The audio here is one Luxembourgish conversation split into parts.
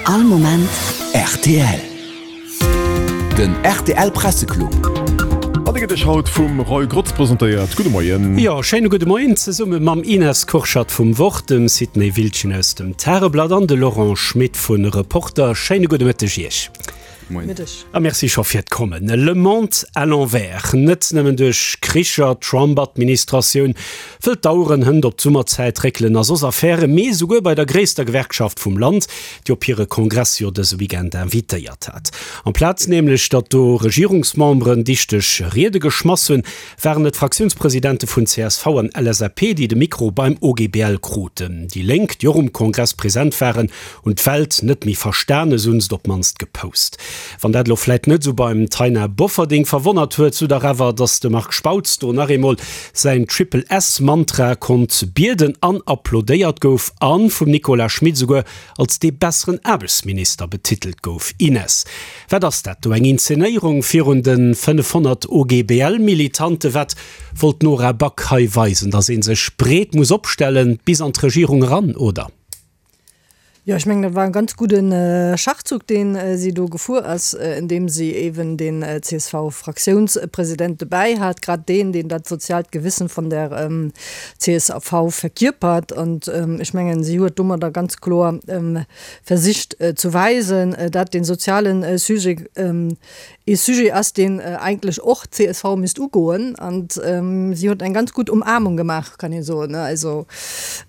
All Moment rtl. Den rtl Presseclub. An dee gëtt Iech haut vum Roy Grotz presentéiert. Gudde Moien. Jo, schéine gudde Moien zesumme mam Ines Kurschat vum Wort, dem Sidney Wildchen aus dem Tageblatt an de Laurent Schmit vu Reporter. Schéine gudde Mëtteg Iech. Moien. A merci scho fir d'Kommen. Le monde à l'envers, net nëmmen duerch Kricher, d'Trump-Administratioun wëll d'Aueren hënt op d'Summerzäit réckelen a soss Affären, mee esouguer bei der gréisster Gewerkschaft vum Land, déi op hire Kongress jo dëse Weekend invitéiert hat. Amplaz nämlech, datt do Regierungsmemberen dichteg Riede geschmass hunn, waren et d'Fraktiounspresidente vun csv an LSAP, déi de Mikro beim OGBL kruten. Déi Lénk, déi och um Kongress present waren, hunn d'Welt net méi verstanen, sou hunn se et op d'mannst gepost. Wann dat elo vläit net esou beim Taina Bofferding verwonnert huet, sou dach awer, datt de Marc Spautz do nach eemol säin Triple S-Mantra konnt bieden an applaudéiert gouf a vum Nicolas Schmit esouguer als dee besseren Aarbechtsminister betitelt gouf. Ines, wat ass dat do, eng Inzenéierung virun de 500 OGBL-Militante? Wat wollt d'Nora Back hei weisen, datt ee sech breet muss opstellen, bis an d'Regierung eran, oder? Jo, ech mengen, dat war e ganz gudde Schachzuch, dee si do gefuer ass, indeem si eeben den CSV-Fraktiounspresident dobäi hat, grad deen, deen dat soziaalt Gewissen vun der csv verkierpert. An ech mengen, si huet domadder ganz kloer versicht ze weisen, dat dee soziale Sujet ee Sujet ass, deen eigentlech och d'CSV misst ugoen. An si huet eng ganz gutt Umarmung gemaach, kann ee soen. Also,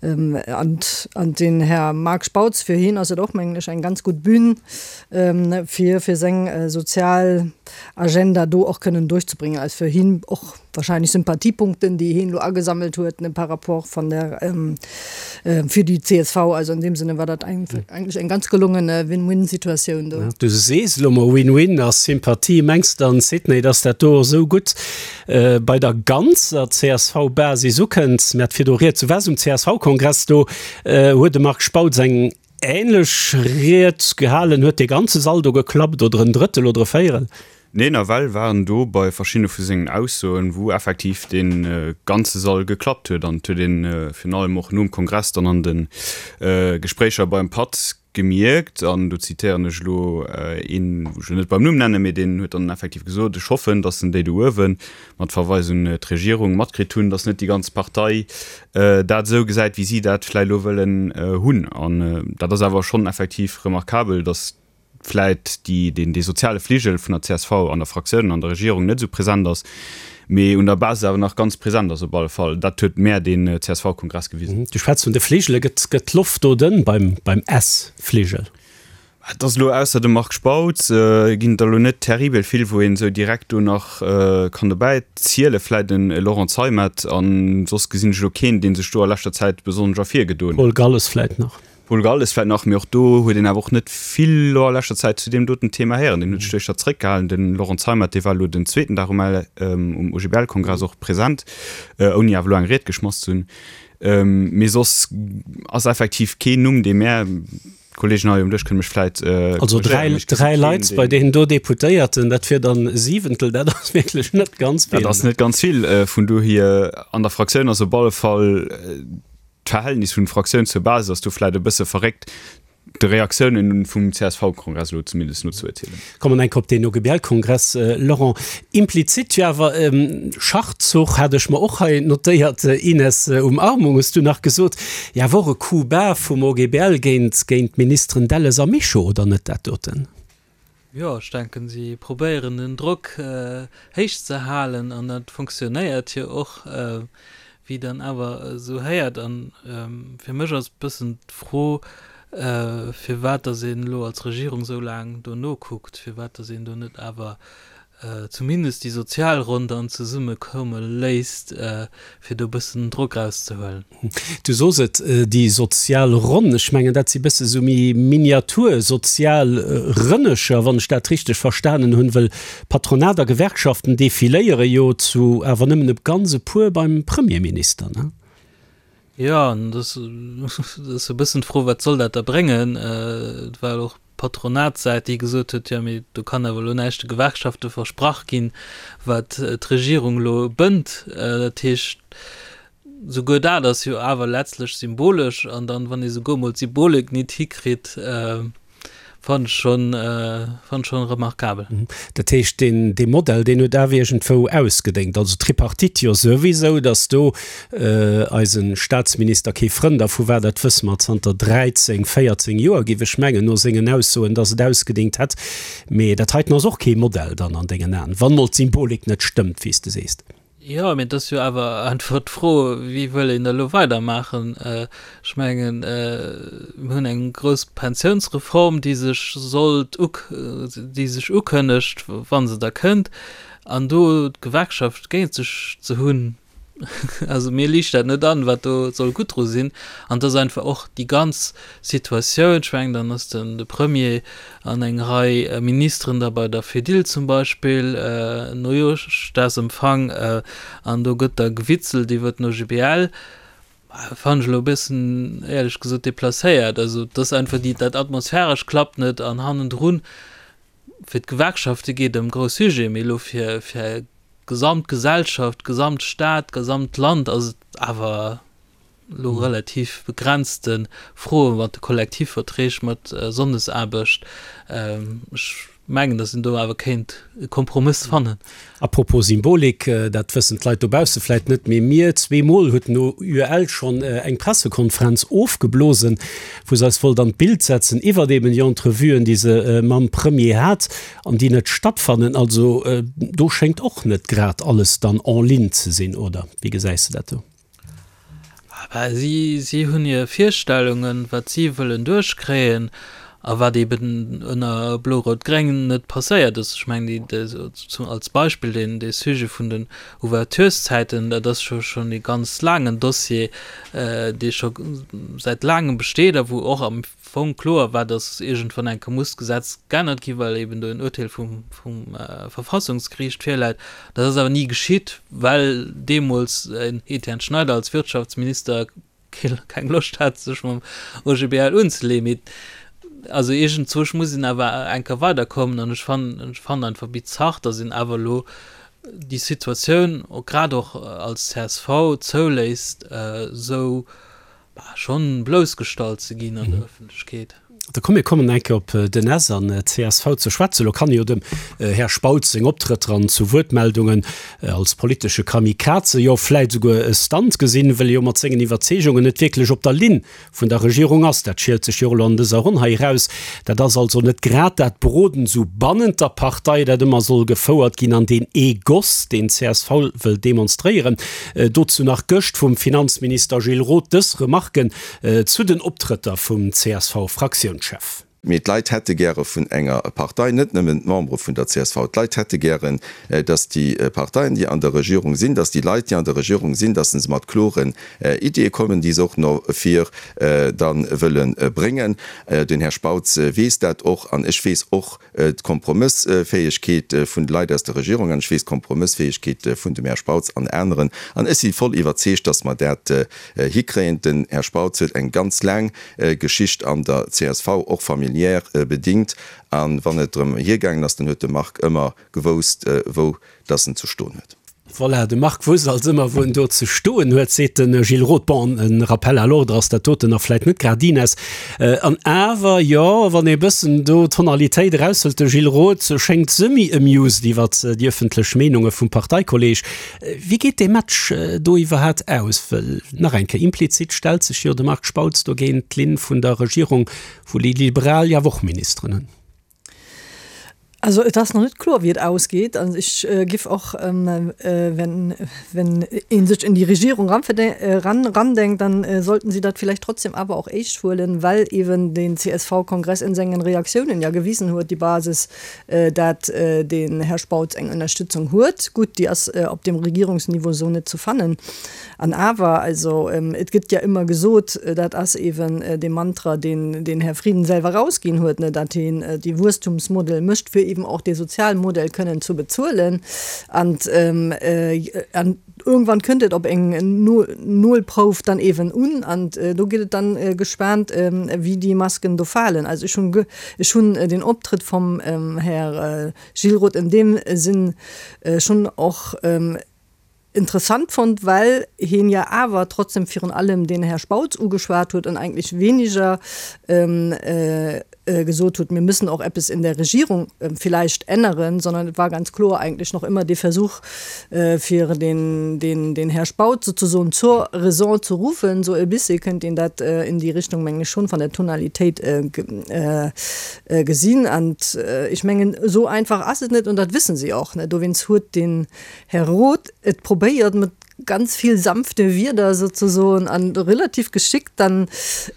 an den Här Marc Spautz, fir hien ass et och, mengen ech, eng ganz gutt Bühn, fir fir seng sozial Agenda do och kënnen duerchzebréngen. Also fir hien och wahrscheinlech Sympathiepunkten, déi hien elo agesammelt huet, ne, par rapport van der, fir déi csv. Also an deem Sinne war dat eigentlech eng ganz gelongene Win-win-Situatioun do. Du sees elo mol Win-win a Sympathie. Mengs dann, Sidney, dass dat do esou gutt bei der ganzer CSV-Basis ukënnt? Mir hat virdu rieds, du waars um CSV-Kongress, do huet de Marc Spautz eng änlech Ried gehalen. Huet dee ganze Sall do geklappt oder en Drëttel oder e Véierel? Nee, nawell war en do bei verschiddene vu sengen Aussoen, wou effektiv dee ganze Sall geklappt huet. An et huet ee virun allem och nom Kongress dann an de Gespréicher beim Patt gemierkt, an do zitéieren ech elo een, wou ech elo net beim Numm nennen, mee deen huet dann effektiv gesot, ech hoffen, datt en déi do uewen, mat Verweis un d'Regierung, matkritt hunn, datt net déi ganz Partei dat esou gesäit, wéi si dat vläicht elo wëllen hunn. An dat ass awer schonn effektiv remarkabel, datt vläit déi, deen, dee soziale Fligel vun der csv an der Fraktioun an der Regierung net esou present ass, mee un der Basis awer nach ganz present ass op alle Fall. Dat huet mär deen CSV-Kongress gewisen. Du schwätz vun de Fligele. Gëtt, gëtt d'Loft do dënn beim, beim S-Fligel? Et ass elo, ausser dem Marc Spautz, ginn et der elo net terribel vill, wou een esou direkt do nach kann dobäi zielen. Vläit en Laurent Zeimet, an soss gesinn ech elo keen, dee sech do a leschter Zäit besonnesch ervirgedoen huet. Paul Galles vläit nach. Paul Galles vläit nach, mee och do huet een awer och net vill elo a leschter Zäit zu deem doten Thema héieren. Deen huet sech duerch dat zréckgehalen. De Laurent Zeimet, dee war elo den zweeten Dag um um OGBL-Kongress och present, ouni awer elo eng Ried geschmass ze hunn. Mee soss ass effektiv keen Numm, dee mär, d'Kollegen hei um Dësch kënne mech vläit Also korrigéieren, mee ech gesi dräi keen, Leit deen. bei deenen do Deputéierten, dat wier dann e Siwentel, dat ass wierklech net ganz vill. Dat ass net ganz vill. Vun dohier, an der Fraktioun ass op alle Fall D'Verhältnis vun Fraktioun zur Basis ass do vläit e bësse verréckt, de Reaktiounen vum CSV-Kongress elo zumindest no ze urteelen. Kommen enk op deen OGBL-Kongress, Laurent. Implizit jo awer Schachzuch, hat ech mer och hei notéiert, Ines, Umarmung hues du nach gesot, jo awer och e Coup bas vum OGBL géint géint d'Ministeren Delles a Mischo, oder net dat doten? Jo, ech denken, si probéieren den Drock héich ze halen an dat fonctionnéiert jo och, wéi dann awer esou héiert. An fir mech ass e bëssen d'Fro, firwat datt een elo als Regierung esou laang do nokuckt, firwat datt een do net awer zumindest déi sozial Ronn dann zesummekoume léisst, fir do e bëssen Drock rauszehuelen. Du sos et, déi sozial Ronn, ech mengen, dat si bësse sou méi Miniatur-sozial Rënnecher, wann ech dat richteg verstanen hunn, wëll Patronat a Gewerkschaften defiléiere jo zu awer nëmmen e ganz e puer beim Premierminister, ne? Jo, an et ass e bëssen d'Fro, wat soll dat da bréngen? Et war och d'Patronatssäit, déi gesot huet, jo, mee do kann awer elo näischt de Gewerkschafte versprach ginn, wat d'Regierung elo bënnt. Dat heescht, souguer dat ass jo awer letztlech symbolesch. An dann, wann ee souguer emol d'Symbolik nit hikritt. Fannen ech schon, fannen ech schon remarkabel. Dat heescht, deen, dee Modell, deen huet awer iergendwou ausgedéngt. Also d'Tripartite jo souwisou, datt do eise Staatsminister kee Frënn dervu war, dat wësse mer zanter 13, 14 Joer, géif ech mengen, no sengen Aussoen, datt et ausgedéngt hätt. Mee dat heiten ass och kee Modell dann an dengen Aen, wann mol d'Symbolik net stëmmt, wéi s de sees. Jo, mee et ass jo awer einfach d'Fro, wéi wëll een da elo weidermaachen? Ech mengen, mir hunn eng grouss Pensiounsreform, déi sech sollt uk, déi sech ukënnegt, wa se da kënnt, an do d'Gewerkschaft géint sech ze hunn, also mir liicht dat net an, wat do soll gutt dru sinn. An et ass einfach och déi ganz Situatioun, ech mengen, dann ass den de Premier an eng Rei Ministeren da bei der Fedil zum Beispill, Neujooschdagsempfang, an do gëtt da gewitzelt iwwer den OGBL, fannen ech elo e bëssen, éierlech gesot, deplacéiert. Also et ass einfach déi, dat Atmosphäresch klappt net an hannendrun, fir d'Gewerkschafte geet et ëm grouss Sujete, mee elo fir fir d'gesamt Gesellschaft, d'gesamt Stad, d'gesamt Land ass et awer elo relativ begrenzte Froe mat de Kollektivverträg, mat Sonndesaarbecht. Ech mengen, datt een do awer kéint e Kompromëss fannen. A propos Symbolik, dat wëssen d'Leit dobausse vläit net, mee mir zweemol huet den OUL schonn eng Pressekonferenz ofgeblosen, wou se eis wollt an d'Bild setzen iwwert eben déi Entrevuen, déi se mam Premier hat an déi net stattfannen. Also do schéngt och net grad alles dann en ligne ze sinn, oder wéi gesäis de dat do? Bah, si, si hunn hir Virstellungen, wat si wëllen duerchkréien a wat eben ënner Blo-Rout-Gréng net passéiert ass. Ech mengen, déi, déi, zum, als Beispill deen, dee Sujet vun den Ouvertureszäiten, dat ass scho schonn ee ganz laangen Dossier, dee scho säit laangem besteet a wou och am Fong kloer war, dass iergendwann eng Kéier muss d'Gesetz geännert ginn, well eben do en Urteel vum, vum Verfassungsgeriicht virläit. Dat ass awer ni geschitt, well deemools en Etienne Schneider als Wirtschaftsminister keng Loscht hat, sech mam OGBL unzeleeën. Mee also iergendzwousch muss een awer eng Kéier weiderkommen an ech fannen, ech fannen einfach bizarr, dass een awer elo déi Situatioun, grad och als csv, zouléisst, esou Bah, schonn bloussgestallt ze ginn an der Ëffentlechkeet. Da komm mir kommen eng Kéier op den S an csv ze schwätzen. Elo kann jo dem Här Spautz seng Optrëtter an zu Wuertmeldungen als politesche Kamikaze, jo vläit esouguer e Stunt gesinn, wëll e jo mat sengen Iwwerzeegungen net wierklech op der Linn vun der Regierung ass. Dat schielt sech jo och elo an dëser Ronn hei eraus. Dat ass also net grad dat Beroden esou bannent der Partei, dat ëmmer soll gefouert ginn an deen Egoss, deen csv wëll demonstréieren. Dozou nach gëscht vum Finanzminister Gilles Roth dës Remarken zu den Optrëtter vum CSV-Fraktiounschef. Mee d'Leit hätte gäre vun enger Partei, net nëmmen d'Membere vun der csv, d'Leit hätte gären, datt déi Parteien, déi an der Regierung sinn, datt déi Leit, déi an der Regierung sinn, datt se mat kloren Ideeë kommen, déi se och no vir da wëlle bréngen. Den Här Spautz weess dat och an ech weess och d'Kompromëssfäegkeet vun de Leit aus der Regierung an ech weess d'Kompromëssfäegkeet vun dem Här Spautz an aneren an ech si voll iwwerzeegt, datt mer dat hikréien. Den Här Spautz huet eng ganz laang Geschicht an der csv, och familiär bedingt. A wann et drëm hiergaangen ass, dann huet de Marc ëmmer gewousst, wou dass en ze stoen huet. Voilà, de Marc wousst alt ëmmer, wou en do ze stoen huet, seet de Gilles Roth. Bon, e Rappel à l'ordre ass dat doten nach vläit net grad, Ines. An awer, jo, wann ee bëssen do d'Tonalitéit eraushëlt, de Gilles Roth schéngt semi-amused iwwert déi ëffentlech Meenunge vum Parteikolleeg. Wéi geet dee Match do iwwerhaat aus? Wëll, nach eng Kéier, implizit stellt sech jo de Marc Spautz do géint d'Linn vun der Regierung, wou déi Liberal jo awer och Ministeren hunn. Also et ass nach net kloer, wéi et ausgeet. Also ech giff och, wenn, wenn ee sech in die Regierung ran, randenkt, dann sollten sie dat vielleicht trotzdem awer och éischt huelen, well eben den CSV-Kongress in sengen Reaktiounen ja gewisen huet, déi Basis, dat den Här Spautz eng Ënnerstützung huet. Gutt, déi ass op dem Regierungsniveau esou net ze fannen. An awer, also et gëtt ja ëmmer gesot, dat ass eeben dee Mantra, deen den Här Frieden selwer erausginn huet, ne, dat hien dee Wuesstumsmodell mécht, fir eeben och dee Sozialmodell kënnen zu bezuelen. An an irgendwann kënnt et op eng Nolprouf dann eeben un an do gëtt et dann gespaant, wéi déi Masken do falen. Also ech hunn ech hunn den Optrëtt vom Här Gilles Roth in deem Sinn schonn och interessant fonnt, well hien ja awer trotzdem virun allem den Här Spautz ugeschwat huet an eigentlech weniger. gesot hutt, mir müssen och eppes in der Regierung vielleicht änneren, sondern et war ganz kloer eigentlech nach ëmmer dee Versuch, fir den, den, den Här Spautz sozusoen zur Raison zu rufen. Sou e bisse kënnt een dat in déi Richtung, mengen ech, schonn van der Tonalitéit gesinn. An ech mengen, esou einfach ass et net an dat wëssen si och net. Dowéinst huet den Här Roth et probéiert mat ganz vill sanfte Wierder sozusoen an relativ geschickt dann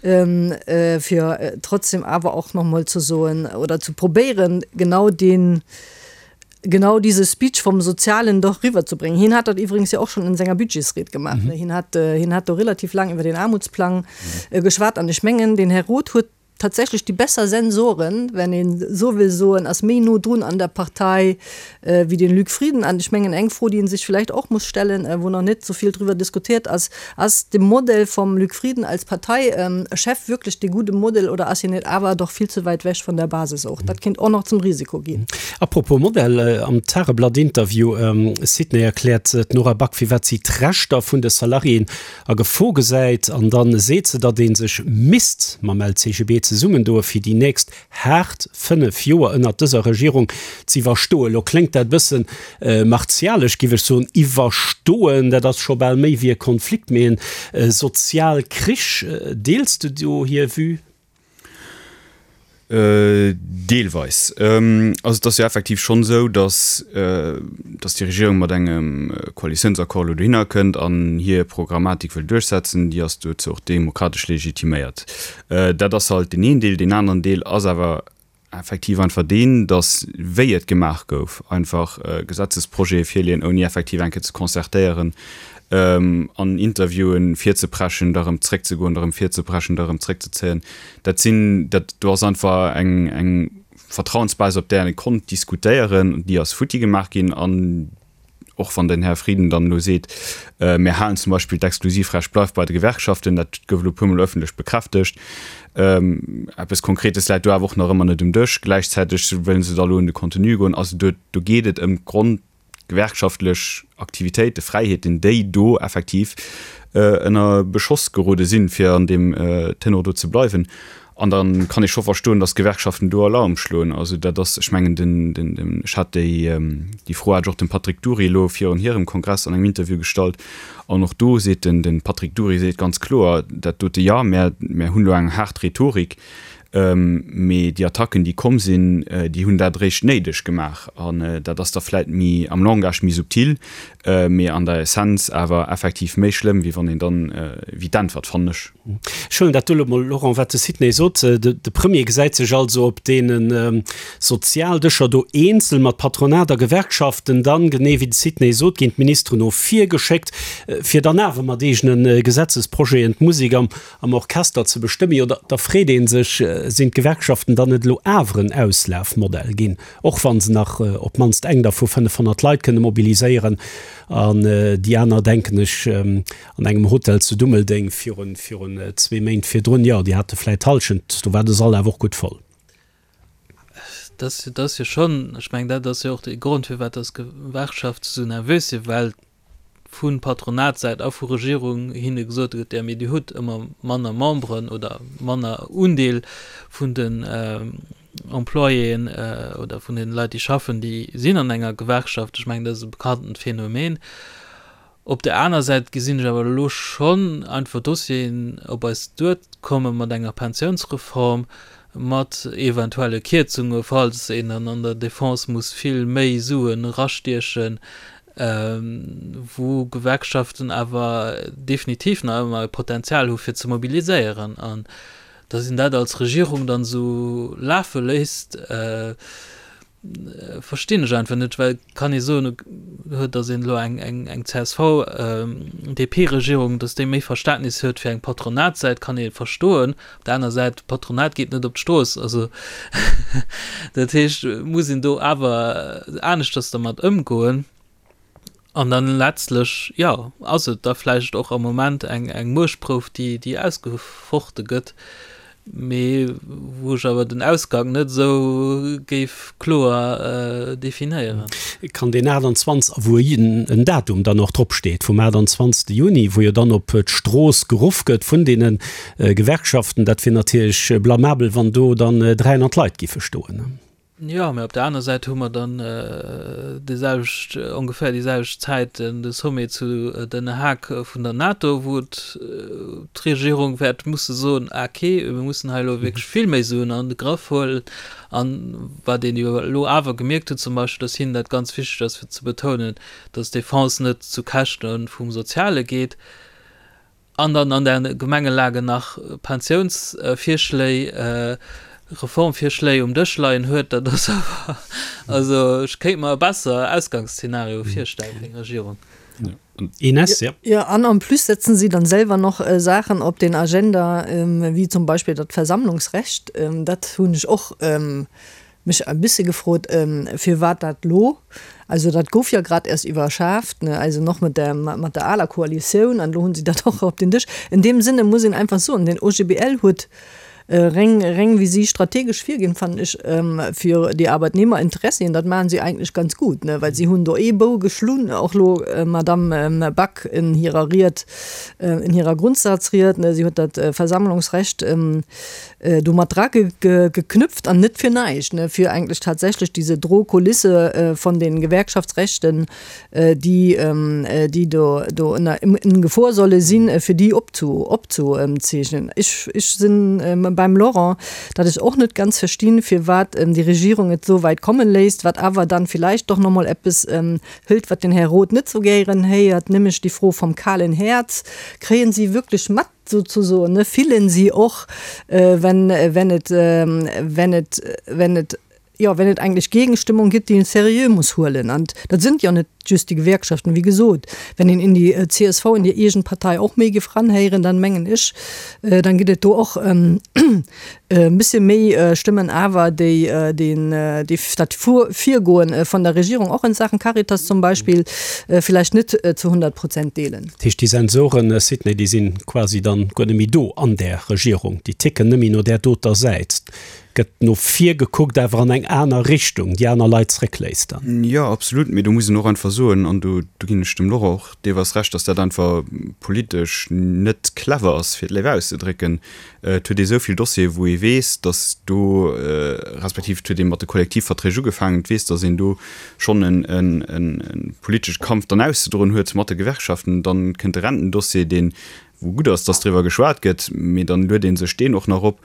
fir trotzdem awer och nach mol ze soen oder ze probéieren, genau deen, genau diese Speech vom Sozialen doch riwwerzebréngen. Hien hat dat iwwregens jo och schonn an senger Budgetsried gemaach, ne? Hien hat, hien hat do relativ laang iwwer den Aarmutsplang geschwat an ech mengen, den Här Roth huet tatsächlech déi besser Sensoren, wenn een esou wëll soen, ass méi no drun an der Partei wéi den Luc Frieden. An ech mengen, eng Fro, déi ee sech vläicht och muss stellen, wou nach net esou vill driwwer diskutiert ass, Ass de Modell vom Luc Frieden als Parteichef wierklech dee gudde Modell oder ass hien net awer doch vill ze wäit wech vun der Basis och? Dat kéint och nach zum Risiko ginn. Apropos Modell, am Tageblatt-Interview, Sydney, erkläert d'Nora Back, firwat si d'Rechter vun de Salariéen a Gefor gesäit an dann seet se, datt ee sech misst mam LCGB zesummendoe fir déi nächst haart 5 Joer ënnert dëser Regierung z'iwwerstoen. Lo kléngt dat bëssen martialesch, giff ech soen, iwwerstoen, dat ass scho bal méi wéi e Konflikt, mee en Sozialkrich. Deels de do hir Vue? Deelweis. Also et ass jo effektiv schonn esou, datt datt déi Regierung mat engem Koalitiounsaccord elo dohinner kënnt an hir Programmatik wëll duerchsetzen. Déi ass dozou och demokratesch legitiméiert. Dat ass halt deen een Deel. Deen aneren Deel ass awer effektiv einfach deen, datt wéi et gemaach gouf, einfach Gesetzesprojete virleeën, ouni effektiv eng Kéier ze concertéieren, an Interviewen virzepreschen, da erëm zréckzegoen, da erëm virzepreschen, da erëm zréckzezéien, dat sinn, dat do ass einfach eng, eng Vertrauensbasis, op där ee konnt diskutéieren, déi ass futti gemaach ginn. An och wann den Här Frieden dann elo seet, mir halen zum Beispill d'Exklusivrecht bleift bei de Gewerkschaften, dat gouf elo e puermol ëffentlech bekräftegt, eppes Konkretes läit do awer och nach ëmmer net um Dësch. Gläichzäiteg wëllen se da elo un de Contenu goen. Also do, do geet et ëm d'Grond, gewerkschaftlech Aktivitéiten, Fräiheeten, déi do effektiv ënner Beschoss gerode sinn, fir an deem Tenor do ze bleiwen. An da kann ee scho verstoen, datt d'Gewerkschaften do Alarm schloen. Also dat ass, ech mengen, den, den, den, ech hat déi, déi Fro hat ech och dem Patrick Dury elo virun hirem Kongress an engem Interview gestallt. An och do seet den, den Patrick Dury seet ganz kloer, dat dote, jo, mär, mär hunn elo eng haart Rhetorik, Mee déi Attacken, déi komm sinn, déi hunn dat eréischt néideg gemaach. An dat ass da vläit méi am Langage méi subtil, mee an der Essenz awer effektiv méi schlëmm, wéi wann een dann, wéi d'Äntwert, fannen ech. Ech huelen dat do elo mol, Laurent, wat de Sidney sot. De Premier gesäit sech also op deene Sozialdëscher do eenzel mat Patronat a Gewerkschaften. Dann, genee wéi de Sidney sot, ginn d'Ministeren no vir geschéckt, fir dann awer mat eegene Gesetzesprojeten d'Musek am am Orchester ze bestëmmen, jo da freet ee sech, sinn d'Gewerkschaften dann net elo awer en Auslafmodell ginn, och wa se nach op d'mannst eng der vu 500 Leit kënne mobiliséieren an déi aner, denken ech, an engem Hotel zu Dummeldeng virun zwee Méint virdrun, jo déi hate vläit d'Hallschent, do war de Sall awer och gutt voll. Dat ass jo schonn, ech mengen, dat ass jo och de Grond, firwat dass d'Gewerkschafte sou nervös sinn, well vu Patronatssäit a vu Regierung hinne gesot gëtt, jo mee Dir hutt ëmmer manner Memberen oder manner Undeel vun den Employéen oder vun den Leit, déi schaffen, déi sinn an enger Gewerkschaft. Ech mengen, dat ass e bekanntent Phänomen. Op der aner Säit gesinn ech awer elo schonn einfach Dossieren op eis duerkomme mat enger Pensiounsreform, mat eventuelle Kierzunge falls een dann an der Defense muss vill méi Suen erastiechen, wou Gewerkschaften awer definitiv nach ëmmer e Potenzial hu fir ze mobiliséieren. An datt een dat als Regierung dann esou lafe léisst, verstinn ech einfach net, well kann ee soen, huet, datt een elo eng eng CSV-DP-Regierung, datt déi méi Verständnis huet fir eng Patronatssäit, kann ee verstoen. Op der aner Säit, d'Patronat geet net op d'Strooss. Also dat heescht, muss een do awer aneschters dermat ëmgoen. An dann letztlech, jo, ass et da vläicht och am Moment eng eng Muechtprouf, déi déi ausgefochte gëtt. Mee wou ech awer den Ausgang net esou géif kloer definéieren. Kann deen 28 a wou en Datum dann och drop steet vum 28. Juni, wou jo dann op d'Strooss geruff gëtt vun deene Gewerkschaften, dat wier natierlech blamabel, wann do dann 300 Leit giffe stoen. Jo, mä op der aner Säit hu mer dann déi selwecht, ongeféier déi selwecht Zäit de Sommet zu Den Haag vun der NATO, wou d'Regierung wäert musse soen, Ah, okay, mir mussen hei elo wierklech vill méi Suen an de Grëff huelen. An wat een jo elo awer gemierkt huet zum Beispill, dass hinnen dat ganz wichteg ass fir ze betounen, dass d'Defense net zu Käschte vum Soziale geet. An dann an der Gemengelage nach Pensiounsvirschléi, Reformvirschléi um Dësch leien huet, dat ass awer, also ech kéint mer e besser Ausgangsszenario virstellen fir eng Regierung. Ines, ja. Jo, an en plus setzen si dann selwer noch Saachen op den Agenda, wéi zum Beispill dat Versammlungsrecht. Dat hunn ech och mech e bisse gefrot, firwat dat lo, also dat gouf jo grad erst iwwerschaaft, ne, also noch mat der, mat der aler Koalitioun, an lo hunn si dat och op den Dësch. In deem Sinne muss een einfach soen, den OGBL huet reng, reng wéi si strategesch virginn, fannen ech, fir déi Arbeitnehmerinteressien, dat maachen si eigentlech ganz gut, ne, well si hunn do ee Bou geschlunn, och lo Madamm Back in hirer Ried, in hirer Grundsatzried, ne, si huet dat Versammlungsrecht, do mat dra geknüpft an net fir näischt, ne, fir eigentlech tatsächlech diese Drohkulisse von den Gewerkschaftsrechten, déi, déi do, do ënner, in Gefor solle sinn, fir déi opzu, opzuzeechnen. Ech, ech sinn beim Laurent, datt ech och net ganz verstinn, firwat déi Regierung et esou wäit kommen léisst, wat awer dann vielleicht doch nach mol eppes hëlt, wat den Här Roth net esou gären héiert, nämlech déi Fro vom kahlen Herz. Kréien si wierklech mat, souzesoen, ne, fillen si och, wenn, wenn et, wenn et, wenn et, jo, wenn et eigentlech Gegenstimmung gibt, déi een seriö muss huelen. An dat sind jo net just déi Gewerkschaften, wéi gesot, wenn een in déi csv, in déi eegen Partei och méi géif ranhéieren, dann mengen ech, dann gëtt et do och e bësse méi Stëmmen awer, déi deen, déi dat Virgoen vun der Regierung och in Sachen Caritas zum Beispill villäicht net zu 100 Prozent deelen. Dat heescht, déi Sensoren, Sidney, déi si quasi dann guer net méi do an där Regierung, déi ticken net méi no där doter Säit. Gëtt no vir gekuckt, awer an eng aner Richtung, déi aner Leit zréckléisst dann. Jo, absolut. Mee do muss een och einfach soen, an do ginn ech dem Laurent och deelweis Recht, datt dat einfach politesch net clever ass, fir et léif auszedrécken, Et huet ee sou vill Dossiere wou ee weess, datt do, respektiv et huet ee mat de Kollektivverträg ugefaangen, et weess, datt een do schonn e politesche Kampf dann auszedroen huet mat de Gewerkschaften. Dann kënnt de Rentendossier, deen, wou gutt ass, datt driwwer geschwat gëtt, mee dann luet ee sech deen och nach op.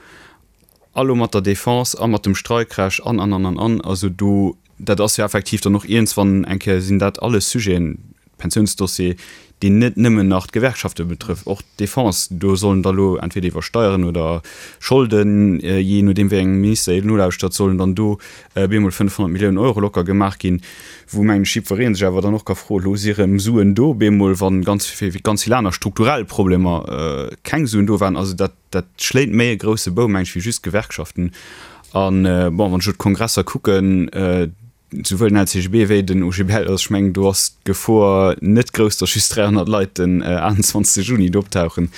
A lo mat der Defense a mat dem Streikrecht an, an, an, an, an. Also do, dat ass jo effektiv dann och iergendswann eng Kéier sinn dat alles Sujeten, Pensiounsdossier, deen net nëmmen nach d'Gewerkschafte betrëfft, och d'Defense, do sollen da lo entweder iwwer Steieren oder Scholden, jee nodeem wéi engem Minister een nolauschtert, sollen dann do bemol 500 Milliounen Euro locker gemaach ginn, wou mengen ech jiddweree sech awer dann och ka froen, elo si rëm Suen do bemol, wa ganz fir ganz vill aner strukturell Problemer keng Suen do waren. Also dat, dat schléit méi e grousse Bou, meng ech, wéi just d'Gewerkschaften. An bon, wann ech elo d'Kongresser kucken, Souwuel den LCGB wéi den OGBL, also ech mengen do ass d'Gefor net grouss, datt just 300 Leit den 28 Juni do optauchen,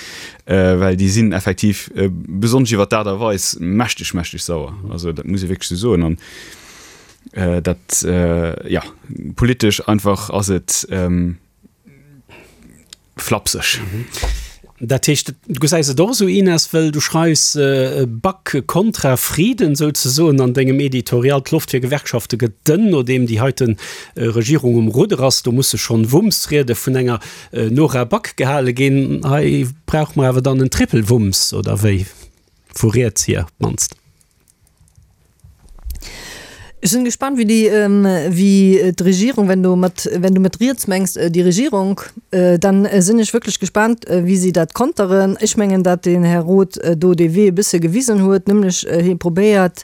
well déi sinn effektiv, besonnesch iwwer d'Aart a Weis, mächteg, mächteg sauer. Also dat muss ee wierklech esou soen. An dat, jo, politesch einfach ass et, Flapseg. Dat heescht, du gesäis et och esou, Ines, wëll du schreifs Back kontra Frieden souzesoen an dengem Editorial, D'Loft fir Gewerkschafte gëtt dënn, nodeem déi heite Regierung um Rudder ass. Do musse schonn Wumms-Riede vun enger Nora Back gehale ginn. Hei brauche mer awer dann en Triple-Wumms, oder wéi? Vu riets hier op d'mannst. Ech sinn gespannt, wéi déi, wéi d'Regierung, wenn du mat, wenn du mat riets mengs déi Regierung, dann sinn ech wierklech gespannt, wéi si dat konteren. Ech mengen, datt den Här Roth do dee Wee e bësse gewisen huet, nämlech hie probéiert,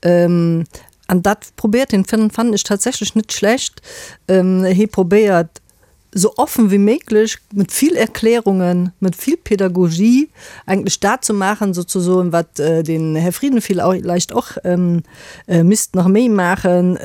an dat probéiert hien, fannen ech tatsächlech net schlecht, hie probéiert. so offen wie möglich, mit vill Erklärungen, mit vill Pädagogie eigentlich dat ze maachen sozesoen, wat den Här Frieden villäicht och misst nach méi maachen,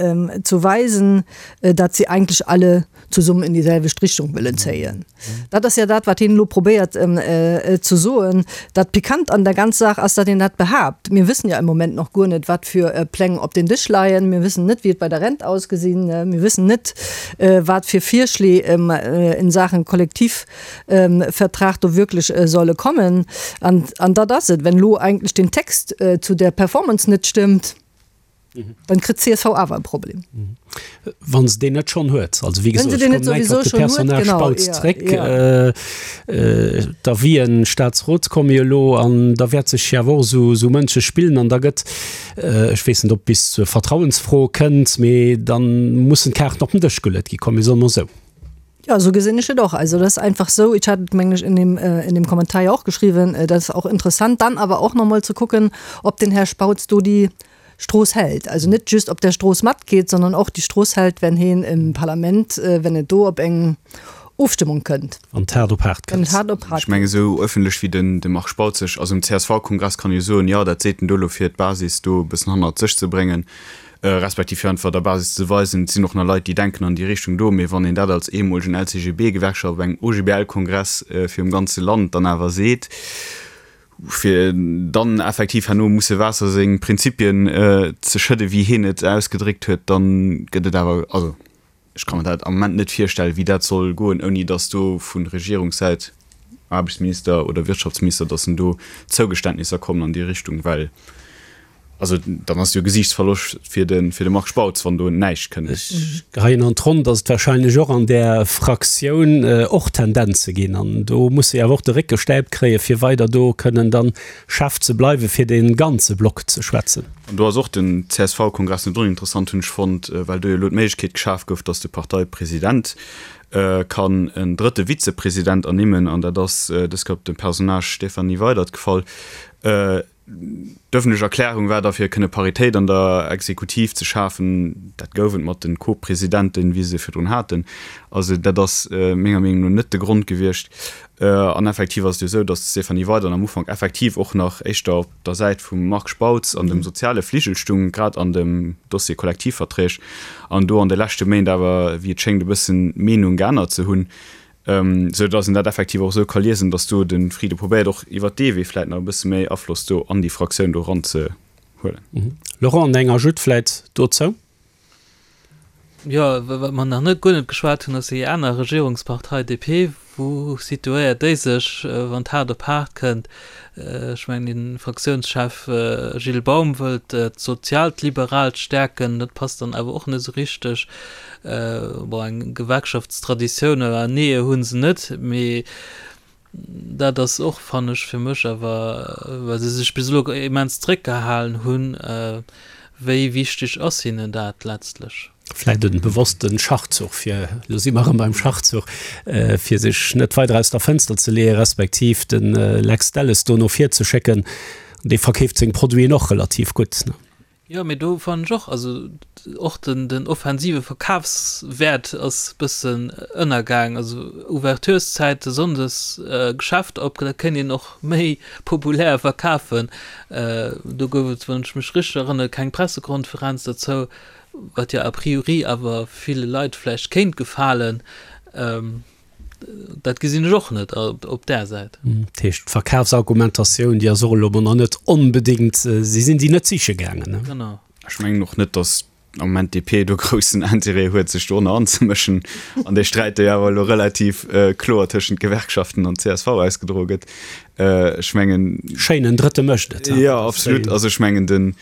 zu weisen, dat sie eigentlich alle zesummen in déiselwecht Richtung wëllen zéien. Dat ass ja dat, wat hien elo probéiert ze soen. Dat Pikant an der ganz Saach ass, datt een dat behaapt. Mir wëssen ja im Moment nach guer net, wat fir Pläng op den Dësch leien. Mir wëssen net, wéi et bei der Rent ausgesinn. Mir wëssen net, wat fir Virschlee in Saachen Kollektivvertrag do wierklech solle kommen. An dat ass et, wenn elo eigentlech den Text zu der Performance net stëmmt, Dann kritt d'CSV awer e Problem. Wa se deen net schonn huet. Also wéi gesot, ech kommen eng Kéier op de Personnage Spautz zréck. D'Avisen Staatsrot komme jo elo an da wäert sech jo awer och esou munches spillen an da gëtt, ech weess net ob bis zur Vertrauensfro kënnt, mee da mussen d'Kaarten op den Dësch geluet gi. Komm mir soen emol esou. Ja, so gesinn ech et och. Also dat ass einfach sou, ich hat et mengen ech in dem, in dem Kommentar ja och geschriwwen, dat ass och interessant dann awer och nochmol ze kucken, ob den Här Spautz do déi Strooss hält. Also net just op der Strooss matgeet, sondern och déi Strooss hält, wenn heen im Parlament, wenn et do op eng Ofstëmmung kënnt. Wann et haart op haart kënnt. Wann et haart op haart kënnt. Ech mengen, esou öffentlech wéi den de Marc Spautz sech, also um CSV-Kongress kann e jo soen, jo, dat seet en do elo fir d'Basis do e bëssen hannert sech ze bréngen. respektiv fir einfach der Basis ze weisen, et sinn och nach Leit, déi denken an déi Richtung do. Mee wann een dat als ehemolegen LCGB-Gewerkschaft op engem OGBL-Kongress virum ganze Land dann awer seet, fir dann effektiv herno musse Waasser seng Prinzipien ze schëdden, wéi hien et ausgedréckt huet, dann gëtt et awer, also ech ka mer dat am Moment net virstellen, wéi dat soll goen, ouni datt do vu Regierungssäit, Aarbechtsminister oder Wirtschaftsminister, datt en do Zougeständnisser kommen an déi Richtung, well Also dann ass jo Gesiichtsverloscht fir de fir de Marc Spautz, wann do näischt kënnt. Ech geheien an d'Ronn, datt et wahrscheinlech och an där Fraktioun och Tendenze ginn. An do muss se awer och de Réck gestäipt kréien, fir weider do kënnen dann Chef ze bleiwen, fir dee ganze Block ze schwätzen. An do ass och den CSV-Kongress net oninteressant, hunn ech fonnt, well do jo elo d'Méiglechkeet geschaf gouf, datt de Parteipresident kann en drëtte Vizepresident ernimmen, an dat ass dës Kéier op de Personnage Stéphanie Weydert gefall. D'ëffentlech Erklärung war da fir kënne Paritéit an der Exekutiv ze schafen. Dat gouf et mat de Co-Presidenten, wéi se virdrun haten. Also dat ass menger Meenung no net de Grond gewiescht. An effektiv ass et jo esou, datt d'Stéphanie Weydert am Ufank effektiv och nach éischter op der Säit vum Marc Spautz an dem soziale Fligel stung, grad an dem Dossier Kollektivverträg, an do an de leschte Méint awer, wéi et schéngt, e bëssen d'Meenung geännert ze hunn. Sou datt een dat effektiv och esou ka liesen, datt do de Frieden probéiert och iwwert dee Wee vläit nach e bësse méi Afloss do an déi Fraktioun do eranzehuelen. Laurent, eng Ajoute vläit dozou? Jo, wat mer nach net, guer net geschwat hunn, ass déi aner Regierungspartei DP. Wou situéiert déi sech, wann et haart op haart kënnt? Ech mengen, de Fraktiounschef Gilles Baum wëllt d'soziaalt Liberaalt stäerken. Dat passt dann awer och net esou richteg. Bon, eng Gewerkschaftstraditioun oder nee hu se net, mee dat ass och, fannen ech, fir mech awer, well se sech bis elo immens zréckgehalen hunn, wéi wichteg ass hinnen dat letztlech? Vläit e bewosste Schachzuch, fir, elo si mer erëm beim Schachzuch, fir sech net weider aus der Fënster ze leeën, respektiv de Lex Delles do no vir ze schécken. Dee verkeeft seng Produiten och relativ gutt. Jo, mee do fannen ech och, also och den den offensive Verkafswäert ass bëssen ënnergaang. Also Ouvertureszäite sonndes Geschäft op, dat kéint een och méi populär verkafen. Do gouf et, wann ech mech richteg erënnere, keng Pressekonferenz dozou, wat jo a priori awer ville Leit vläicht kéint gefalen. Dat gesinn ech och net op där Säit. Dat heescht, d'Verkafsargumentatioun, déi ass och elo mol nach net onbedéngt, si sinn déi net siche gaangen, ne? Genau. Ech mengen och net, datt am Moment d'DP do groussen Interêt huet, sech dorënner anzemëschen an dee Sträit, dee jo awer elo relativ kloer tëschent Gewerkschaften an csv ausgedroe gëtt. Ech mengen. Schéinen Drëtte mécht et. Jo, absolut. Also ech mengen, den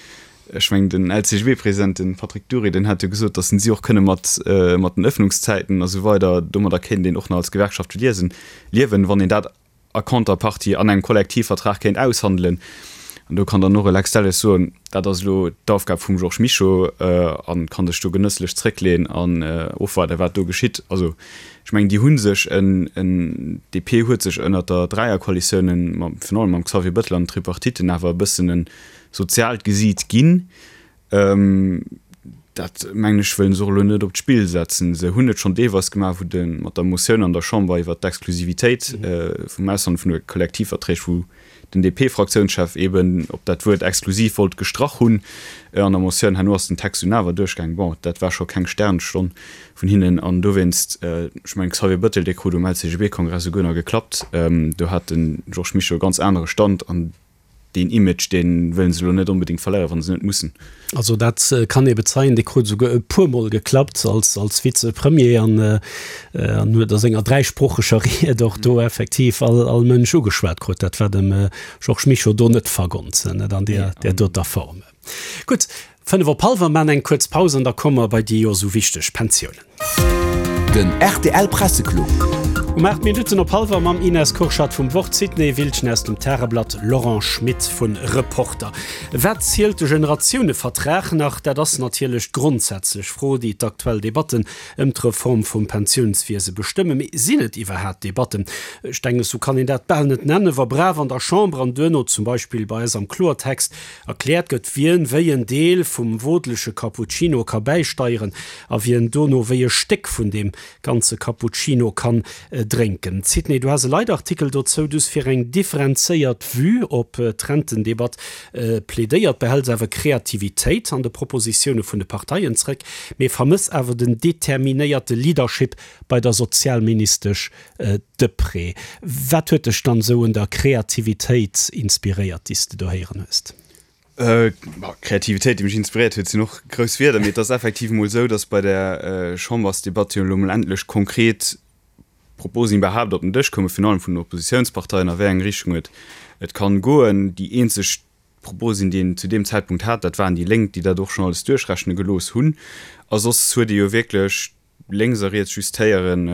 Ech mengen, den LCGB-President, de Patrick Dury, deen hat jo gesot, datt si och kënne mat mat den Ëffnungszäiten a sou weider, domadder kéint een och nach als Gewerkschaft liesen, liewen, wann een dat a Contrepartie an engem Kollektivvertrag kéint aushandelen. An do kann dann och e Lex Delles soen, dat ass elo d'Aufgab vum Georges Mischo a kann sech do genësslech zréckleeën an ofwaarden, wat do geschitt. Also ech mengen, déi hu sech en, en, d'DP huet sech ënnert der Dräierkoalitioun, virun allem mam Xavier Bettel an den Tripartiten awer e bëssen en, soziaalt Gesiit ginn. Dat, mengen ech, wëllen se och elo net op d'Spill setzen. Se hunn et schonn deelweis gemaach, wou de mat der Motioun an der Chamber iwwert d'Exklusivitéit vum Aushandele vun de Kollektivverträg, wou den DP-Fraktiounschef eeben op dat Wuert exklusiv wollt gestrach hunn an der Motioun. Herno ass den Text dunn awer duerchgaang. Bon, dat war scho keng Sternstonn vun hinnen an dowéinst, ech mengen, Xavier Bettel, dee krut um LCGB-Kongress esouguer nach geklappt, do hat de Georges Mischo e ganz anere Stand an deen Image, dee wëllen se elo net onbedéngt verléieren, wa se net mussen. Also dat kann ee bezeien, dee krut esouguer e puermol geklappt als als Vizepremier an an huet a senger dräisproocheger Ried och do effektiv all all Mënsch ugeschwat krut. Dat war dem Georges Mischo do net vergonnt, net an där där doter Form. Gutt, 5 op hallwer, maachen eng kuerz Paus an da komme mer bei déi jo esou wichteg Pensiounen. Den rtl Presseclub. Um 8 Minutten op hallwer mam Ines Kurschat vum Wort, Sidney Wiltgen aus dem Tageblatt, Laurent Schmit vun Reporter. Wat zielt de Generatiounevertrag nach? Dat ass natierlech d'grondsätzlech Fro, déi d'aktuell Debatten ëm d'Reform vum Pensiounswiese bestëmmen. Mee sinn et iwwerhaat Debatten? Ech denken, esou kann een dat bal net nennen, wa brav an der Chamber an duerno zum Beispill bei eis am Kloertext Erkläert gëtt, wien wéi en Deel vum wodelege Cappuccino ka bäisteieren a wien dono wéi e Stéck vun deem ganze Cappuccino kann drénken. Sidney, du has e Leitartikel dozou, du hues fir eng differenzéiert Vue op d'Rentendebatt plädéiert, behäls awer Kreativitéit an de Propositioune vun de Parteien zréck, mee vermëss awer den determinéierte Leadership bei der Sozialministesch Deprez. Wat huet dech dann esou un der Kreativitéit inspiréiert, déi s de do héieren hues? Kreativitéit, déi mech inspiréiert huet, sinn och grouss Wierder, mee et ass effektiv emol esou, datt bei der Chambersdebatt jo elo emol endlech konkret Proposen iwwerhaapt op den Dësch koumen, virun allem vun den Oppositiounsparteien, a wéi eng Richtung et et kann goen. Déi eenzeg Proposen, déi een zu deem Zäitpunkt hat, dat waren déi Lénk, déi dat och schonn alles duerchrechne gelooss hunn. A soss huet ee jo wierklech lénks a riets just héieren,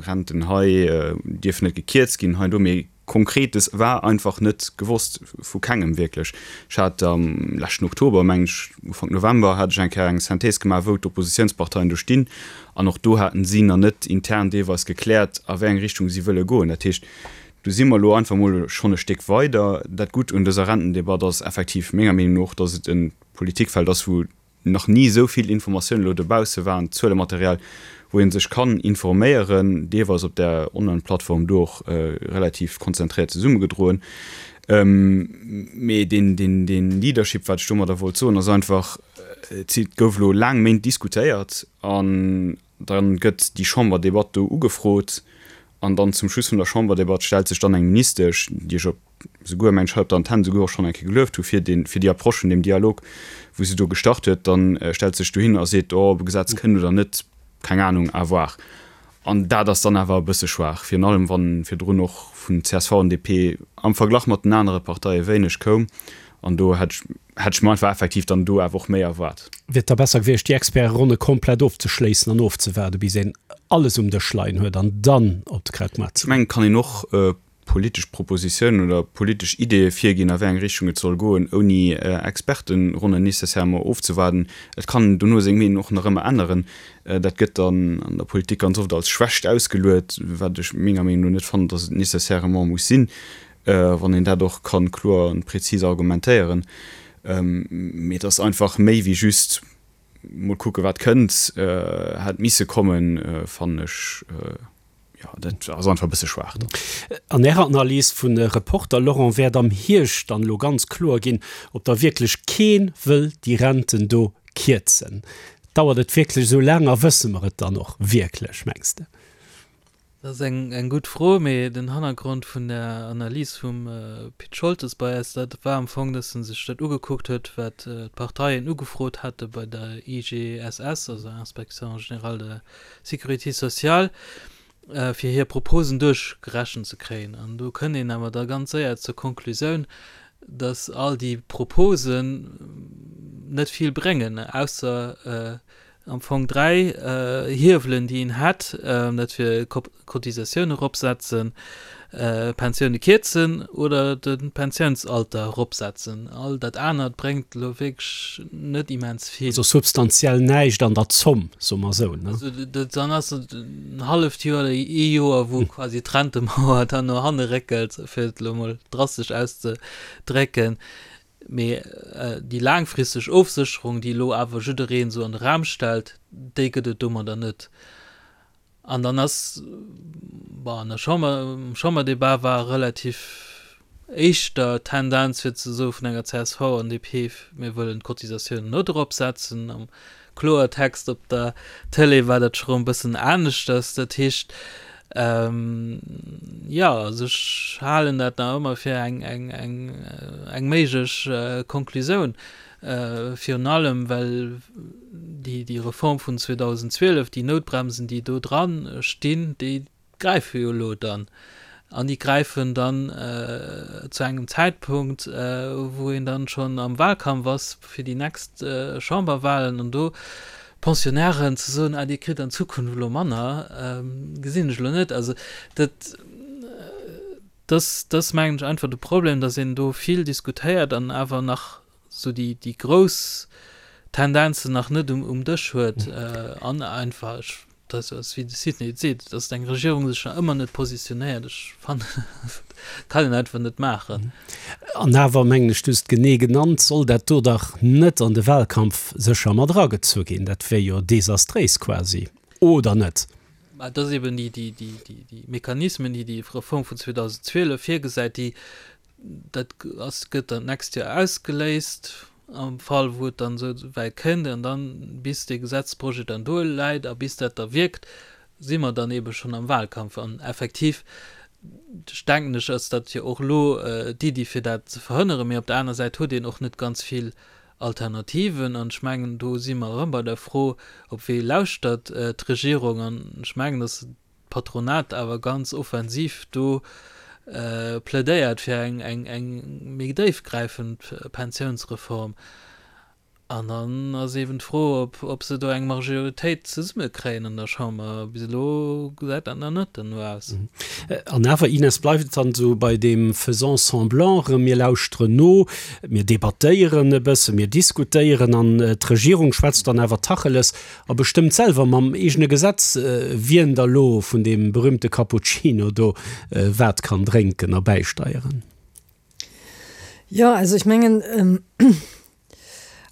Renten hei dierfen net gekierzt ginn, hei an do, mee Konkretes war einfach net gewosst, vu kengem wierklech. Ech hat am leschten Oktober, mengen ech, Ufank November, hat ech eng Kéier eng Synthèse gemaach, wou d'Oppositiounsparteien do stinn, an och do haten si nach net intern deelweis gekläert, a wéi eng Richtung si wëlle goen. Dat heescht, do si mer elo einfach mol schonn e Stéck weider. Dat Gutt un dëser Rentendebatt ass effektiv menger Meenung no och, datt et e Politikfeld ass, wou nach ni esou vill Informatiounen elo dobausse waren, Zuelematerial, wou ee sech kann informéieren, deelweis op där Online-Plattform do och relativ konzentréiert zesummegedroen. Mee deen, deen, deen Leadership, wat ech domadder wollt soen, ass einfach, et gouf elo laang Méint diskutéiert an da gëtt déi Chamberdebatt do ugefrot an dann zum Schluss vun der Chamberdebatt stellt sech dann eng Ministesch, déi ech op souguer mengen ech hei op der Antenn souguer och schonn eng Kéier gelueft hu fir deen, fir déi Approche vun deem Dialog, wou se do gestart huet, dann stellt se sech dohin a seet, oh, ob e Gesetz kënnt oder net, keng Ahnung, à voir. An dat ass dann awer e bësse schwaach, virun allem wann virdrun och vun csv an DP am Verglach mat den anere Parteie wéineg koum. An do hätt ech, hätt ech mer einfach effektiv dann do awer och méi erwaart. Wier et da besser gewiescht, déi Experteronne komplett ofzeschléissen an ofzewaarden, bis een alles um Dësch leien huet an dann op de Krautmaart ze goen? Ech mengen, et kann een och politesch Propositiounen oder politesch Ideeë virginn, a wéi eng Richtung et soll goen, ouni Expertenronnen nécessairement ofzewaarden. Et kann een dono seng Meenung och nach ëmmer änneren. Dat gëtt dann an der Politik ganz oft als Schwächt ausgeluet, wat ech menger Meenung no net fannen, datt et nécessairement muss sinn, wann een dat och ka kloer an prezis argumentéieren. Mee et ass einfach méi wéi just mol kucke wat kënnt, hätt misse kommen, fannen ech. Jo, dat ass einfach e bësse schwaach dann. An Ärer Analys vun Reporter, Laurent, wäert am Hierscht dann elo ganz kloer ginn, ob da wierklech kee wëll déi Renten do kierzen. Dauert et wierklech esou laang a wësse mer et dann och wierklech, mengs de? Dat ass eng gutt Fro, mee den Hannergrond vun der Analys vum Pit Scholtes bei eis, dat war am Fong, datt en sech dat ugekuckt huet, wat d'Parteien ugefrot hate bei der IGSS, also Inspection générale de Sécurité sociale, fir hir Proposen duerchgerechent ze kréien. An do kënnt een awer da ganz séier zur Konklusioun, dass all déi Proposen net vill bréngen, ausser am Fong 3 Hiewelen, déi een hätt, dat wier Cotisatioun eropsetzen, Pensioune kierzen oder de Pensiounsalter eropsetzen. All dat anert bréngt elo wierklech net immens vill. Also substantiell näischt an der Zomm, soe mer esou, ne? Also dann ass et en halleft Joer oder ee Joer, wou quasi d'Rentemauer dann no hanne réckelt, fir et elo mol drastesch auszedrécken. Mee déi laangfristeg Ofsécherung, déi elo awer jiddereen esou an de Raum stellt, déi gëtt et domadder net. An dann ass, bon, an der Chamber, am Chamberdebat war relativ éischter d'Tendenz fir ze soe vun enger csv an DP, mir wëllen d'Cotisatiounen net eropsetzen. Am Kloertext op der Tëlee war dat scho rëm e bëssen aneschters. Dat heescht, jo, also ech halen dat nach ëmmer fir eng, eng, eng, eng méiglech Konklusioun, virun allem well déi, déi Reform vun 2012, déi Noutbremsen, déi do dran stinn, déi gräife jo elo dann. An déi gräifen dann zu engem Zäitpunkt, wou een dann schonn am Wahlkampf ass fir déi nächst Chamberwahlen. An do Pensionnairen ze soen, ah Dir kritt an Zukunft elo manner, gesinn ech elo net. Also dat, dat ass mengen ech einfach de Problem, datt een do vill diskutéiert an awer nach esou déi, déi grouss Tendenzen nach net um, um Dësch huet an einfach, ech, dat ass wéi de Sidney et seet, datt eng Regierung sech nach ëmmer net positionéiert, ech fannen, dat kann een einfach net maachen. An awer, mengen ech, du hues et genee genannt, soll dat do dach net an de Wahlkampf sécher mat eragezu ginn. Dat wär jo desastréis quasi, oder net? Mä et ass eben déi, déi, déi, déi Mechanismen, déi déi Reform vun 2012 virgesäit, déi, Dat ass, gëtt dann d'nächst Joer ausgeléist, am Fall wou et dann esou wäit kënnt. An dann, bis dee Gesetzprojet dann do läit a bis dat da wierkt, si mer dann eebe schonn am Wahlkampf. An effektiv, ech denken ech, ass dat jo och elo d'Iddi, fir dat ze verhënneren. Mee op der aner Säit huet een och net ganz vill Alternativen. An ech mengen, do si mer erëm bei der Fro, op wee lauschtert d'Regierung? An ech mengen, dass d'Patronat awer ganz offensiv do plädéiert fir eng, eng, eng méi déifgräifend Pensiounsreform. An dann ass eeben d'Fro, ob, ob se do eng Majoritéit zesummekréien an der Chamber. Bis elo gesäit dat nach net derno aus. An awer, Ines, bleift et dann esou bei deem faisons semblant erëm, mir lauschteren no, mir debattéieren e bëssen, mir diskutéieren an d'Regierung schwätzt dann awer Tacheles A bestëmmt selwer mam eegene Gesetz, wien da lo vun deem berühmte Cappuccino do wat kann drénken a bäisteieren. Jo, also ech mengen,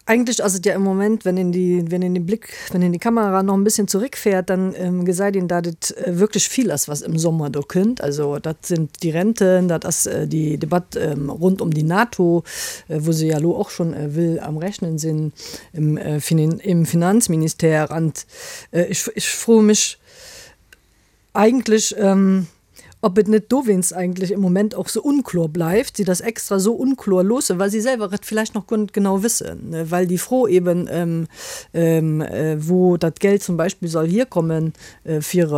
eigentlech ass et ja im Moment, wenn een déi, wenn een de Blick, wenn een die Kamera noch en bisschen zurückfährt, dann gesäit een, dat et wierklech vill ass, was im Sommer do kënnt. Also dat sinn déi Renten, dat ass déi Debatt rund um die NATO, wou se ja elo och schonn wëll am Rechnen sinn. im Finanzministère. An ech, ech froe mech eigentlech, ob et net dowéinst eigentlech im Moment och sou unklar bleift, si das extra sou unklar loossen, well si selwer et villäicht nach guer net genau wëssen, well déi Fro eben, wou dat Geld zum Beispill soll hierkommen, fir,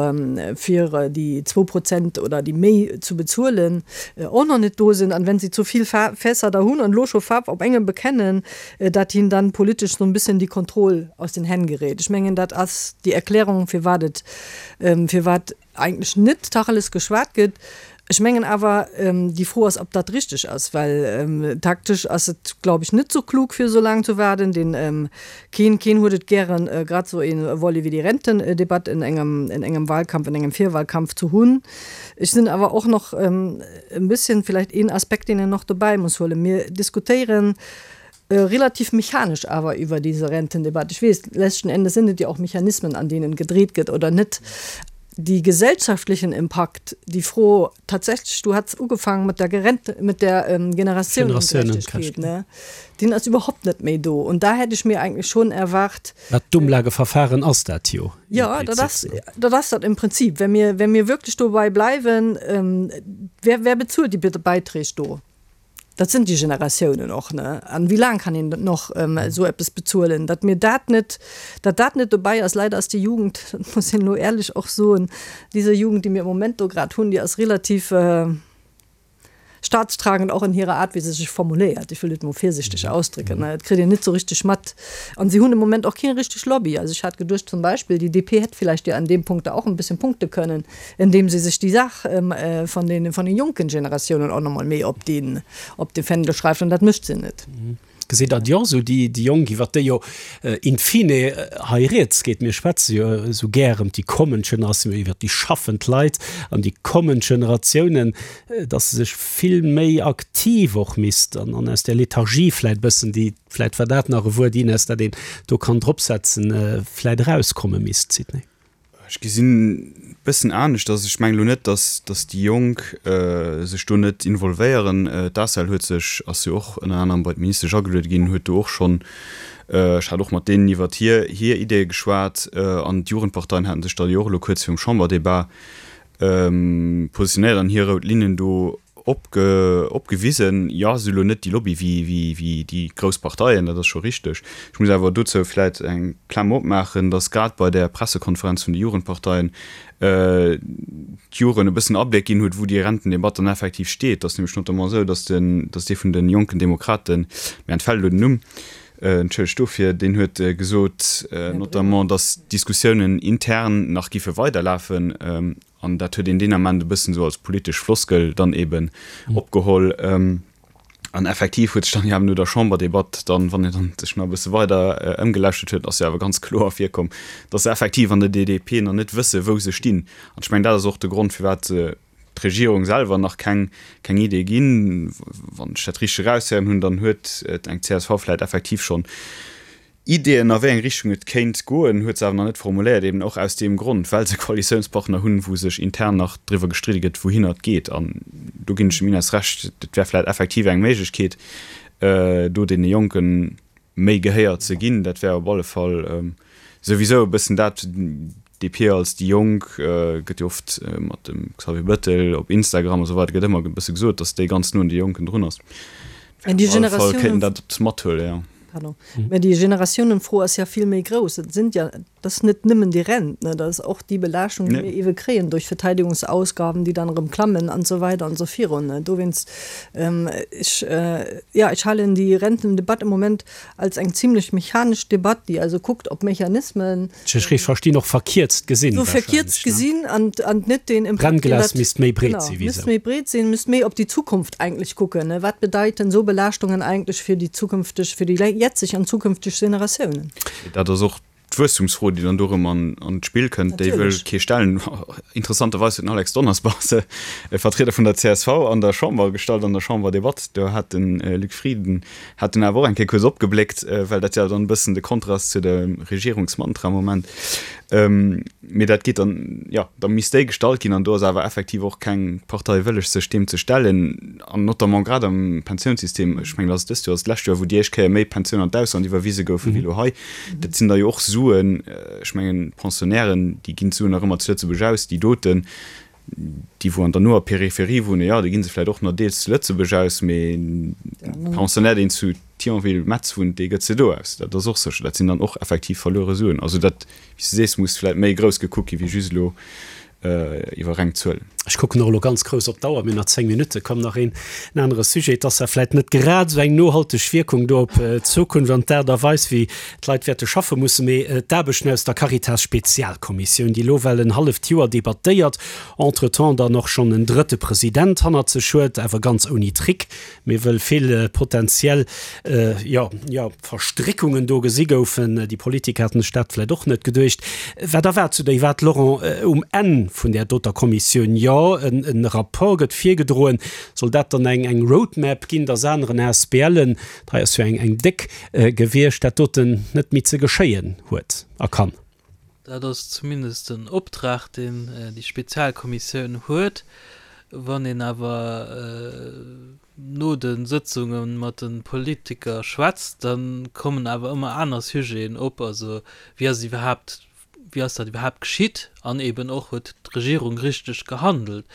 fir déi zwou Prozent oder déi méi zu bezuelen, och nach net do sinn. An wenn si zu vill Fässer da hunn an elo scho Faarf op engem bekennen, dat him dann politesch so en bisschen die Kontroll aus den Hänn gerät. Ech mengen, dat ass déi Erklärung, firwat et, firwat eigentlech net Tacheles geschwat gëtt. Ech mengen awer, déi Fro ass, ob dat richteg ass, well taktesch ass et, glaub ech, net sou klug, fir esou laang ze waarden. Deen, keen, keen huet et gären, grad esou ee Volet wéi déi Rentendebatt in engem, in engem Wahlkampf, in engem Virwahlkampf ze hunn. Ech sinn awer och nach e bisschen vielleicht een Aspekt, deen een nach dobäi muss huelen, Mir diskutéieren relativ mechanisch awer iwwer diese Rentendebatte. Ech weess, letzten Endes sind et jo och Mechanismen, an deenen gedreht gëtt oder net. Déi gesellschaftlichen Impakt, déi Fro tatsächlich, du hats ugefaangen mat der Gerente, mit der Generationengerechtigkeit, ne, deen ass überhaupt net méi do. Und da hätt ech mir eigentlich schon erwart, Mä d'Umlageverfahren ass dat jo im Jo, dat ass, dat ass dat im Prinzip. Wenn mir, wenn mir wirklich dobei bleiwen, wer, wer bezuelt déi Beiträg do? Dat sinn déi Generatiounen och, ne? An wéi laang kann een noch esou eppes bezuelen? Datt mir dat net, datt dat net dobäi ass. Leider ass déi Jugend, dat muss een elo éierlech och soen, diese Jugend, déi mir im Moment do grad hunn, déi ass relativ staatstragend och in hirer Art, wéi se sech formuléiert. Ech wëll et emol virsichteg ausdrécken, ne? Et kritt een net esou richteg mat. An si hunn im Moment och keng richteg Lobby. Also ech hat geduecht zum Beispill, déi DP hätt vielleicht jo an deem Punkt da och en bisschen punkte kënnen, indem se sech déi Saach vun den, vun den jonken Generatiounen och nach mol méi op den, op de Fändel schreift, an dat mécht se net. Gesitt Der déi och esou, déi Jonk, iwwert déi jo in fine hei rieds geet? Mir schwätze jo esou gär ëm déi kommend Generatioun, iwwert déi schaffend Leit an déi kommend Generatiounen, datt se sech vill méi aktiv och misst an aus där Lethargie vläicht e bëssen, déi, vläicht war dat nach e Wuert, Ines, dat een do kann dropsetzen, vläicht erauskomme misst, Sidney. Ech gesinn e bëssen aneschters. Ech mengen elo net, datt, datt déi Jonk sech do net involvéieren. D'ACEL huet sech, ass jo och ënner anerem bei d'Ministesch ageluede ginn, huet do och schonn, ech hat och mat deenen iwwert hir, hir Ideeë geschwat an d'Jugendparteien haten sech da jo och elo kuerz virum Chamberdebat positionéiert an hir rout Linnen do opgewisen. Jo, se hu lo net déi Lobby wéi déi grouss Parteien, dat ass scho richteg. Ech muss awer dozou vläit eng Klammer opmaachen, datt grad bei där Pressekonferenz vun de Jugendparteien d'Jugend e bëssen Abléck ginn huet, wou déi Rentendebatt dann effektiv steet. Et ass nämlech notamment esou, datt den, datt dee vun de Jonken Demokraten, mir entfält elo den Numm, entschëllegt dofir, deen huet gesot notamment, datt d'Diskussiounen intern nach giffe weiderlafen. An dat huet een deen Ament e bëssen esou als politesch Floskel dann eeben opgeholl. An effektiv huet sech dann jo awer no der Chamberdebatt dann, wann een dann sech nach e bësse weider ëmgelauschtert huet, ass jo awer ganz kloer ervirkomm, datt se effektiv an der DP nach net wësse wou se stinn. An ech mengen, dat ass och de Grond, firwat se d'Regierung selwer nach keng, keng Idee ginn. Wann ech dat richteg eraushéieren hunn, dann huet eng csv vläicht effektiv schonn Ideeën, a wéi eng Richtung et kéint goen, huet se awer nach net formuléiert, eben och aus deem Grond, well se Koalitiounspartner hunn, wou sech intern nach driwwer gestridde gëtt, wouhinner et geet. An do ginn ech dem Ines Recht, et wär vläicht effektiv eng Méiglechkeet, do deene Jonke méi Gehéier ze ginn. Dat wär op alle Fall souwisou e bëssen dat, DP als déi Jonk gëtt jo oft mat dem Xavier Bettel op Instagram a sou weider gëtt ëmmer e bësse gesot, datt déi ganz no un de Jonken drun ass. Mä déi Generatiounen. Kéinten dat mathuelen, jo. Pardon. Mä déi Generatiounen-Fro ass ja vill méi grouss. Et sinn ja, dat ass net nëmmen déi Rent, ne, dat ass och déi Belaaschtung, déi mir ewe kréien duerch Verteidigungsausgaben, déi dann erëm klammen an esou weider an esou virun. Dowéinst, ech, ja, ech halen déi Rentendebatt am Moment als eng zimlech mechanesch Debatt, déi also kuckt op Mechanismen. Ech ech verstinn och verkierzt gesinn. Sou verkierzt gesinn an an net deen Impakt, deen dat. Brennglas misst méi breet sinn, wéi sou. Misst méi breet sinn, misst méi op déi Zukunft eigentlech kucken. Wat bedeiten esou Belaaschtungen eigentlech fir déi zukünfteg, fir déi jetzeg an zukünfteg Generatiounen? Dat ass och d'Wuesstumsfro, déi dann do erëm an d'Spill kënnt. Déi wëll kee stellen. Interessanterweis huet den Alex Donnersbach se, e Vertrieder vun der csv, an der Chamber gestallt, an der Chamberdebatt. Do hat de Luc Frieden Hat dunn awer och eng Kéier kuerz opgebléckt, well dat jo dann e bëssen de Kontrast zu dem Regierungsmantra am Moment. Mee dat geet dann, jo, da misst déi gestallt ginn an do ass awer effektiv och keng Partei wëlleg, sech deem ze stellen. An notamment grad am Pensiounssystem, ech mengen, dat ass dëst Joer, ass d'lescht Joer, wou déi éischt Kéier méi Pensioun an d'Ausland iwwerwise goufen wéi elo hei. Dat sinn da jo och Suen, ech mengen, d'Pensionnairen, déi ginn d'Suen nach ëmmer zu Lëtzebuerg aus, déi doten, Déi wou an der noer Peripherie wunnen, jo, déi gi se vläicht och nach deels zu Lëtzebuerg aus, mee de Pensionnaire, deen zu Thionville, Metz wunnt, dee gëtt se do aus. Dat ass och sécher. Dat sinn dann och effektiv verluere Suen. Also dat, wéi s de sees, muss vläicht méi grouss gekuckt gi wéi just elo iwwer reng Zuelen. Ech kucken och elo ganz grouss op d'Auer, mir hunn nach 10 Minutten. Komm, nach een anere Sujet. Et ass zwar vläicht net grad esou eng nohalteg Wierkung do op d'Zukunft an d'Aart a Weis, wéi d'Leit wäerte schaffe mussen, mee d'Aarbechten aus der Caritas-Spezialkommissioun, déi elo well en halleft Joer debattéiert, entretemps dann och schonn en drëtte President hannert sech huet, awer ganz ouni Trick, mee wëll vill potentiell, jo, jo, Verstréckungen do gesi goufen. Déi Politiker haten sech dat vläicht och net geduecht. Wat erwaart du déi wat, Laurent, um Enn vun där doter Kommissioun? Jo, en Rapport gëtt virgedroen. Soll dat dann eng eng Roadmap ginn, datt aneren ASBLen, hei ass jo eng eng déck gewiescht, dat doten net méi ze geschéien huet a kann? Dat ass zumindest den Optrag, deen déi Spezialkommissioun huet. Wann een awer no de Sëtzunge mat de Politiker schwätzt, da kommen awer ëmmer aner Sujeten op. Also wéi ass et iwwerhaapt, wéi ass dat iwwerhaapt geschitt an eben och, huet d'Regierung richteg gehandelt?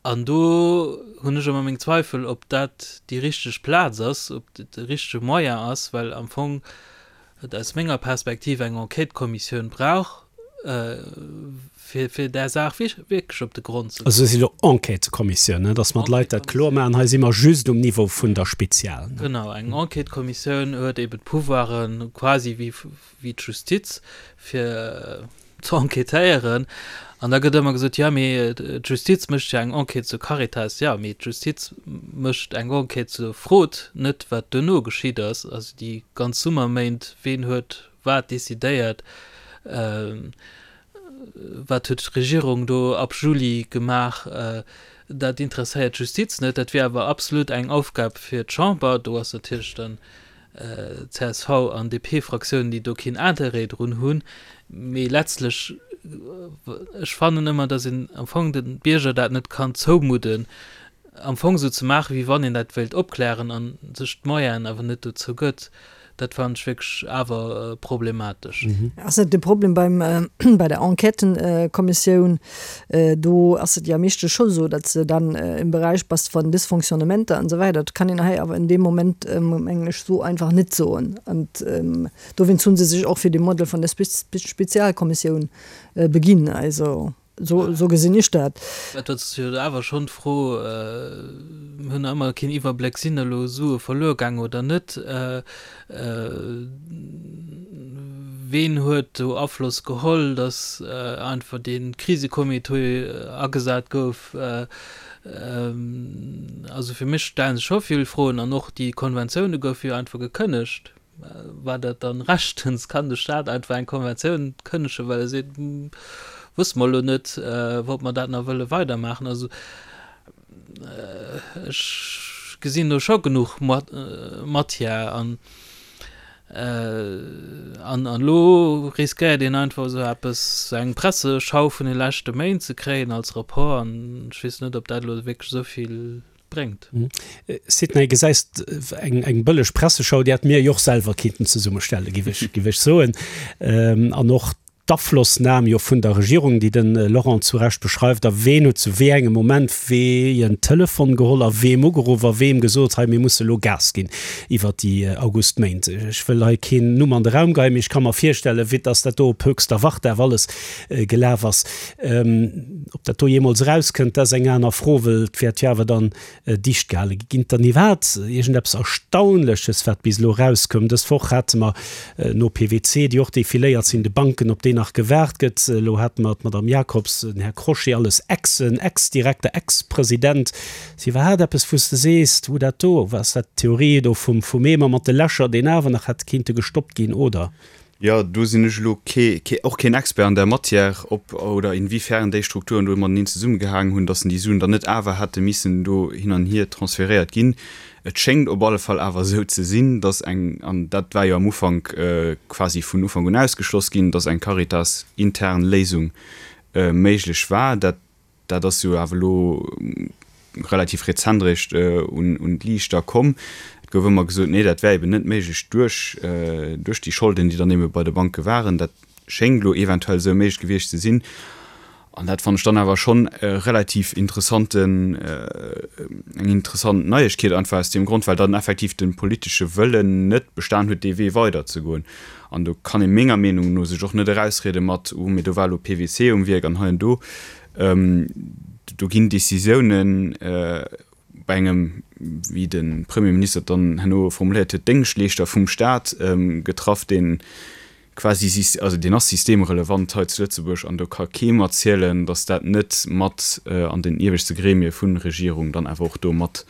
An do hunn ech ëmmer meng Zweifel, ob dat déi richteg Plaz ass, ob dat de richtege Moyen ass, well am Fong et aus menger Perspektiv eng Enquêtekommissioun brauch, fir, fir där Saach wierklech op de Grond ze goen. Also dat si lo Enquêtekommissioun, dass mer d'Leit dat kloer maachen. Hei si mer just um Niveau vun der Spezial. Genau, eng Enquêtekommissioun huet eeben d'Pouvoiren quasi wéi, wéi d'Justiz, fir. Ze enquêtéieren. An da gëtt ëmmer gesot, jo mee d'Justiz mécht jo eng Enquête zur Caritas. Jo, mee d'Justiz mécht eng Enquête zur Fraude, net wat duerno geschitt ass. Also déi ganz Summerméint, ween huet wat decidéiert, wat huet d'Regierung do ab Juli gemaach, dat interesséiert d'Justiz net. Dat wier awer absolut eng Aufgab fir d'Chamber. Do ass natierlech dann Csv an DP-Fraktiounen, déi do keen Interêt drun hunn. Mee letztlech, ech fannen ëmmer, datt een am Fong de Bierger dat net kann zoumudden, am Fong esou ze maachen, wéi wann een dat wéilt opklären a sech d'Moyenen awer net dozou gëtt. Dat fannen ech wierklech awer problematesch. Ass net de Problem beim, bei der Enquêtenkommissioun, Do ass et jo meeschtens scho esou, datt s de dann im Bereich bass von Dysfonctionnementer an esou weider. Dat kann een hei awer in deem Moment, mengen ech, esou einfach net soen. An dowéinst hu se sech och fir de Modell vun der Spezialkommissioun beginn. Also esou gesinn ech dat. Et ass jo awer schonn d'Fro, mir hunn nach ëmmer keen Iwwerbléck, sinn elo Sue verluer gaangen oder net? Ween huet do Afloss geholl, datt einfach dee Krisecomité agesat gouf? Also fir mech stelle sech scho vill Froen. An och déi Konventioune goufe jo einfach gekënnegt. War dat dann rechtens? Kann de Staat einfach eng Konventioun kënnegen, well e seet, wësse mer elo net, ob mer dat nach wëlle weidermaachen? Also Ech gesinn do scho genuch Matière an an elo riskéiert een einfach esou eppes, esou eng Presseschau vun de leschte Méint ze kréien als Rapport an ech weess net, ob dat elo wierklech esou vill bréngt. Sidney, gesäis eng eng bëlleg Presseschau, déi hätte mir jo och selwer kinnten zesummestellen, géif ech géif ech soen. An och d'Aflossnam jo vun der Regierung, déi de Laurent zu Recht beschreift, a ween huet zu wéi engem Moment wéi en Telefon geholl a weem ugeruff a weem gesot, hei mir musse lo Gas ginn iwwert déi Augustméint. Ech wëll hei keen Numm an de Raum geien, mee ech ka mer virstellen, vue dass dat do op höchster Wartdag alles gelaf ass. Ob dat do jeemools erauskënnt, dat ass eng aner Fro, well et wäert jo awer dann dicht gehale gi. Ginn et dann iwwerhaapt iergendeppes Erstaunleches, wat bis elo erauskoum? Dës Woch hate mer no PwC, déi och defiléiert sinn, de Banken, op déi nach gewaart gëtt. Elo hate mer d'Madame Jacobs, den Här Crochet, alles Exen, Ex-Direkter, Ex-President. Ass iwwerhaapt eppes, wou s de sees, Hu dat do, ass dat d'Theorie do vum Eemer mat de Lächer, deen awer nach hätt kéinte gestoppt ginn, oder? Jo, do sinn ech elo kee, och keen Expert an där Matière, ob oder inwiefern déi Strukturen do mateneen zesummegehaangen hunn, datt en déi Suen dann net awer hätte missen do hin an hier transferéiert ginn. Et schéngt op alle Fall awer esou ze sinn, datt eng, an dat war jo am Ufank quasi vun Ufank un ausgeschloss ginn, datt eng Caritas-intern Léisung méiglech war. Dat Dat ass jo awer elo relativ rezent eréischt un d'Liicht da komm. Et gouf ëmmer gesot, nee, dat wär eben net méiglech duerch, duerch déi Scholden, déi dann ebe bei de Banke waren. Dat schéngt elo eventuell esou méiglech gewiescht ze sinn. An dat fannen ech dann awer schonn e relativ interessanten, eng interessant Neiegkeet, einfach aus deem Grond, well dann effektiv de politesche Wëllen net bestan huet, dee Wee weiderzegoen. An do kann ee menger Meenung no sech och net erausriede mat, oh mee do war elo PWC um Wierk an hei an do. Do ginn Décisiounen bei engem, wéi de Premierminister et dann herno formuléiert huet, Déngschtleeschter vum Staat getraff, dee quasi, also deen ass systemrelevant hei zu Lëtzebuerg an do ka kee mer zielen, datt dat net mat an den ieweschte Gremie vun Regierung dann awer och do mat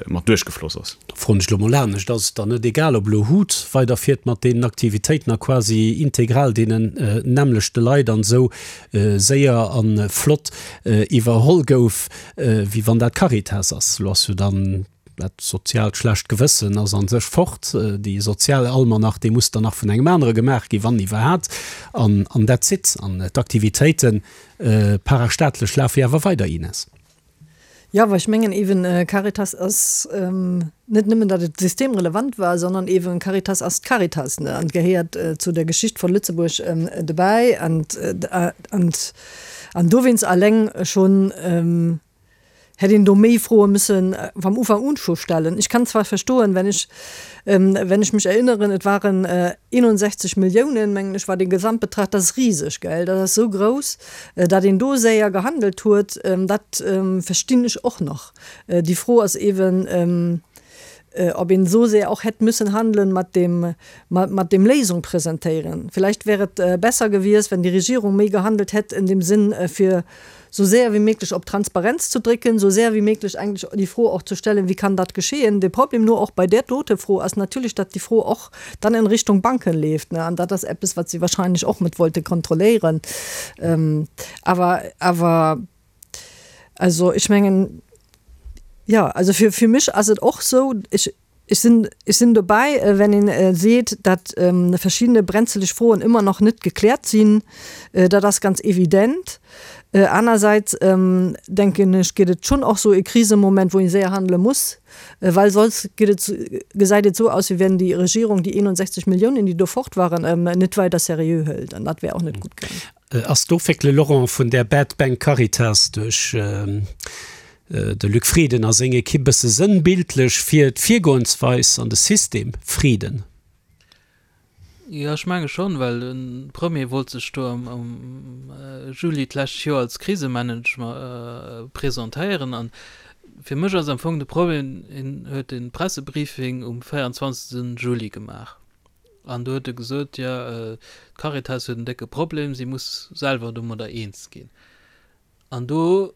mat duerchgefloss ass. Da froen ech elo mol anescht, Ass et dann net egal, ob elo hut weiderfiert mat deenen Aktivitéiten a quasi integral deenen nämmlechte Leit an esou séier a flott iwwerholl gouf, wéi wann dat Caritas ass? Elo ass jo dann dat soziaalt schlecht Gewëssen ass a sech fort, déi sozial Almanach, dee muss dann nach vun engem anere gemaach ginn, wann iwwerhat, an an that's it. An d'Aktivitéite parastaatlech lafe jo awer weider, Ines. Jo, awer ech mengen eeben, Caritas ass net nëmmen, datt et systemrelevant war, sondern eeben Caritas ass d'Caritas, ne, an gehéiert zu der Geschicht von Lëtzebuerg dobäi. An, an, an dowéinst alleng schonn hätt een do méi Froe müssen vam Ufank un scho stellen. Ech kann zwar verstoen, wenn ech, wenn ech mech erinneren, et waren 61 Milliounen, mengen ech, war dee Gesamtbetrag, dat ass riseg, gell, dat ass esou grouss. Datt een do séier gehandelt huet, dat verstinn ech och nach. Déi Fro ass eeben. Ob een esou sehr och hätt müssen handeln mat dem, mat dem Léisung presentéieren. Vielleicht wär et besser gewiescht, wenn die Regierung méi gehandelt hätt in dem Sinn, fir sou séier wéi méiglech op Transparenz ze drécken, sou séier wéi méiglech eigentlech déi Fro och ze stellen, Wie kann dat geschehen? De Problem nur och bei där dote Fro ass natierlech, datt déi Fro och dann in Richtung Banken leeft, ne? An dat ass eppes, wat si wahrscheinlech och net wollte kontrolléieren. Awer, awer, also ech mengen, jo, also fir, fir mech ass et och sou, ech, Ech sinn, ech sinn dobäi, wenn een seet, datt verschiddene brenzeleg Froen ëmmer nach net gekläert sinn. Dat ass ganz evident. Anersäits, denken ech, gëtt et schonn och sou e Krisemoment, wou ee séier handele muss, well soss gëtt et, gesäit et esou aus, wéi wenn déi Regierung déi 61 Milliounen, déi do fort waren, net weider seriö hëlt. An dat wär och net gutt gaangen. Ass d'Ofwéckele, Laurent, vun där Bad Bank Caritas duerch de Luc Frieden a seng Ekipp bësse sënnbildlech fir d'Virgoensweis an de System Frieden? Jo, ech menge schonn, well de Premier wollt sech do am Juli d'lescht Joer als Krisemanager presentéieren. An fir mech ass am Fong de Problem, hien huet de Pressebriefing um 24. Juli gemaach. An do huet e gesot, jo, d'Caritas huet en décke Problem, si muss selwer domadder eens ginn. An do,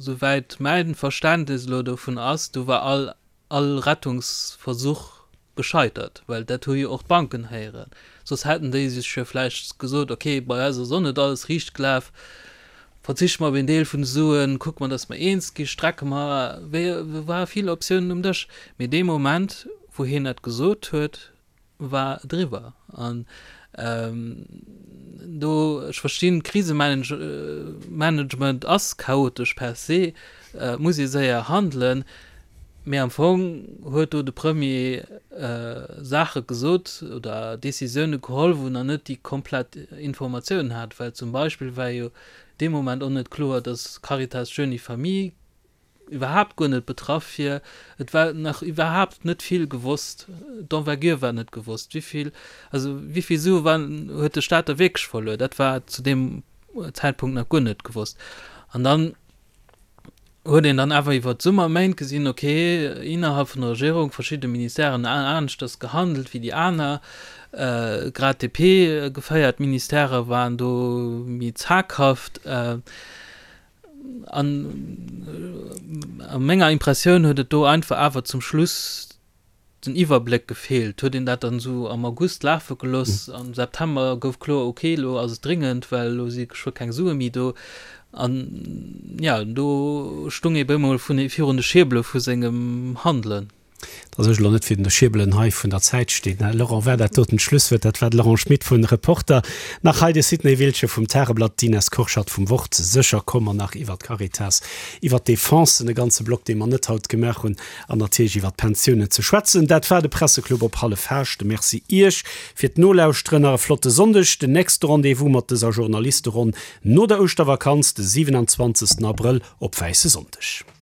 souwäit mäin Verständnis elo dovun ass, do war all, all Rettungsversuch gescheitert, well dat hu jo och d'Banken héieren. Soss hätten déi sech jo vläicht gesot, okay, bei eis ass och net alles riicht gelaf, verzichte mer op een Deel vun de Suen, kucke mer, datt mer eens gi, strecke mer, wéi, do ware vill Optiounen um Dësch. Mee dee Moment, wou hien dat gesot huet, war et eriwwer. An do, ech verstinn, Krisemanagement ass chaotesch per se, et muss ee séier handelen, mee am Fong huet do de Premier Saache gesot oder Decisioune geholl, wou en nach net déi komplett Informatiounen hat. Well zum Beispill war jo dee Moment och net kloer, datt Caritas Jeunes et Familles iwwerhaapt guer net betraff wier. Et war nach iwwerhaapt net vill gewosst, d'Envergure war net gewosst, wéi vill, also wéi vill Sue waren, huet de Staat da wierklech verluer, dat war zu deem Zäitpunkt nach guer net gewosst. An dann huet een dann awer iwwer d'Summerméint gesinn, okay, innerhalb vun der Regierung, verschidde Ministèren aneschters gehandelt wéi déi aner, grad DP-geféiert Ministèrë waren do méi zaghaft. An a menger Impressioun huet et do einfach awer zum Schluss den Iwwerbléck gefeelt. Huet een dat dann esou am August lafe gelooss, am September gouf kloer, ok, elo ass et dringend, well elo si geschwë keng Sue méi do. An jo, do stung ee bemol virun de Schierbele vu sengem Handelen. Dass ech elo net virun de Schierbelen hei vun der Zäit stinn, Laurent, war dat doten d'Schlusswuert. Dat war de Laurent Schmit vun Reporter. Nach hei de Sidney Wiltgen vum Tageblatt, d'Ines Kurschat vum Wort. Sécher komme mer nach iwwer d'Caritas, iwwer d'Defense, e ganze Block, dee mer net haut gemaach hunn, an natierlech iwwer d'Pensiounen ze schwätzen. Dat war de Presseclub op Halleffaascht. Merci Iech fir d'Nolauschteren. Nach e flotte Sonndeg. Den nächste Rendez-vous mat dëser Journalisteronn no der Ouschtervakanz, de 27. Abrëll op Wäisse Sonndeg.